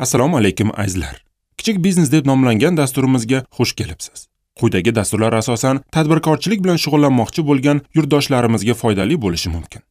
Assalomu alaykum azizlar. Kichik biznes deb nomlangan dasturimizga xush kelibsiz. Quyidagi dasturlar asosan tadbirkorchilik bilan shug'ullanmoqchi bo'lgan yurtdoshlarimizga foydali bo'lishi mumkin.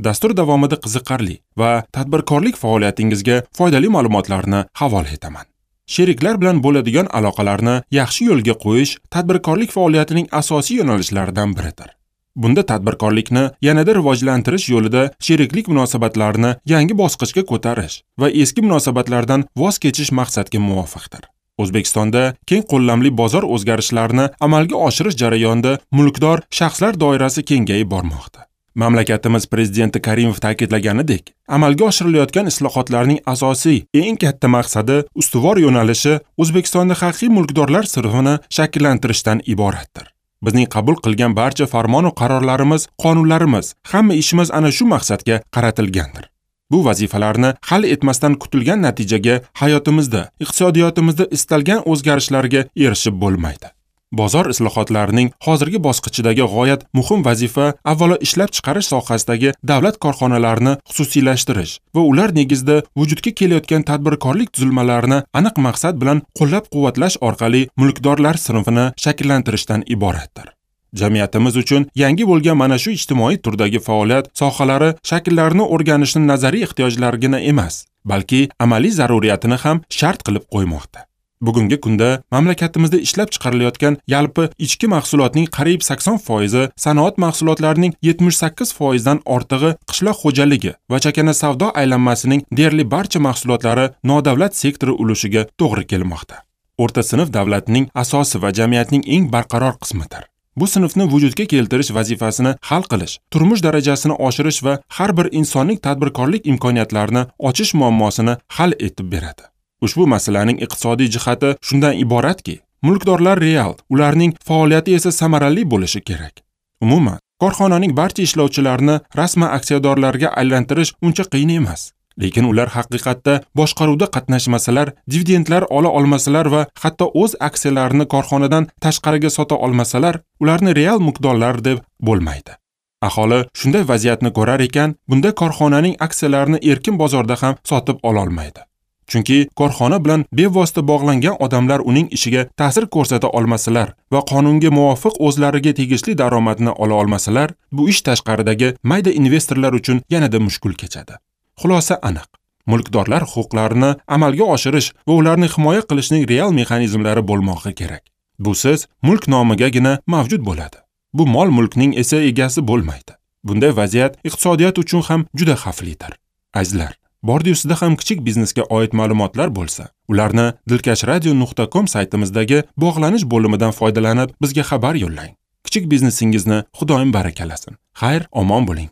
Dastur davomida qiziqarli va tadbirkorlik faoliyatingizga foydali ma'lumotlarni havola etaman. Sheriklar bilan bo'ladigan aloqalarni yaxshi yo'lga qo'yish tadbirkorlik faoliyatining asosiy yo'nalishlaridan biridir. Bunda tadbirkorlikni yanada rivojlantirish yo'lida sheriklik munosabatlarini yangi bosqichga ko'tarish va eski munosabatlardan voz kechish maqsadga muvofiqdir. O'zbekistonda keng qo'llamli bozor o'zgarishlarini amalga oshirish jarayonida mulkdor shaxslar doirasi kengayib bormoqda. Mamlakatimiz prezidenti Karimov ta'kidlaganidek, amalga oshirilayotgan islohotlarning asosiy, eng katta maqsadi, ustuvor yo'nalishi O'zbekistonda haqiqiy mulkdorlar sinfini shakllantirishdan iboratdir. Bizning qabul qilgan barcha farmon va qarorlarimiz, qonunlarimiz, hamma ishimiz ana shu maqsadga qaratilgandir. Bu vazifalarni hal etmasdan kutilgan natijaga hayotimizda, iqtisodiyotimizda istalgan o'zgarishlarga erishib bo'lmaydi. Bozor islohotlarining hozirgi bosqichidagi g'oyat muhim vazifa avvalo ishlab chiqarish sohasidagi davlat korxonalarini xususiylashtirish va ular negizida vujudga kelayotgan tadbirkorlik tuzilmalarini aniq maqsad bilan qo'llab-quvvatlash orqali mulkdorlar sinfini shakllantirishdan iboratdir. Jamiyatimiz uchun yangi bo'lgan mana shu ijtimoiy turdagi faoliyat sohalari shakllarini o'rganishni nazariy ehtiyojlargina emas, balki amaliy zaruriyatini ham shart qilib qo'ymoqda. Bugungi kunda mamlakatimizda ishlab chiqarilayotgan yalpi ichki mahsulotning qariyb 80%, sanoat mahsulotlarining 78% dan ortig'i qishloq xo'jaligi va chakana savdo aylanmasining deyarli barcha mahsulotlari nodavlat sektori ulushiga to'g'ri kelmoqda. O'rta sinf davlatning asosi va jamiyatning eng barqaror qismidir. Bu sinfni vujudga keltirish vazifasini hal qilish, turmush darajasini oshirish va har bir insonning tadbirkorlik imkoniyatlarini ochish muammosini hal etib beradi. Ushbu masalaning iqtisodiy jihati shundan iboratki, mulkdorlar real, ularning faoliyati esa samarali bo'lishi kerak. Umuman, korxonaning barcha ishlovchilarini rasman aksiyadorlarga aylantirish uncha qiyin emas. Lekin ular haqiqatda boshqaruvda qatnashmasalar, dividendlar ola olmasalar va hatto o'z aksiyalarini korxonadan tashqariga sota olmasalar, ularni real mulkdorlar deb bo'lmaydi. Aholi shunday vaziyatni ko'rar ekan, bunda korxonaning aksiyalarini erkin bozorda ham sotib ola olmaydi. Chunki korxona bilan bevosita bog'langan odamlar uning ishiga ta'sir ko'rsata olmasalar va qonunga muvofiq o'zlariga tegishli daromadni ola olmasalar, bu ish tashqaridagi mayda investorlar uchun yanada mushkul kechadi. Xulosa aniq. Mulkdorlar huquqlarini amalga oshirish va ularni himoya qilishning real mexanizmlari bo'lmog'i kerak. Busiz mulk nomigagina mavjud bo'ladi. Bu mol-mulkning esa egasi bo'lmaydi. Bunday vaziyat iqtisodiyot uchun ham juda xavflidir. Azizlar, bordi-ustida ham kichik biznesga oid ma'lumotlar bo'lsa, ularni dilkashradio.com saytimizdagi bog'lanish bo'limidan foydalanib bizga xabar yo'llang. Kichik biznesingizni Xudoyim barakalasin. Xayr, omon bo'ling.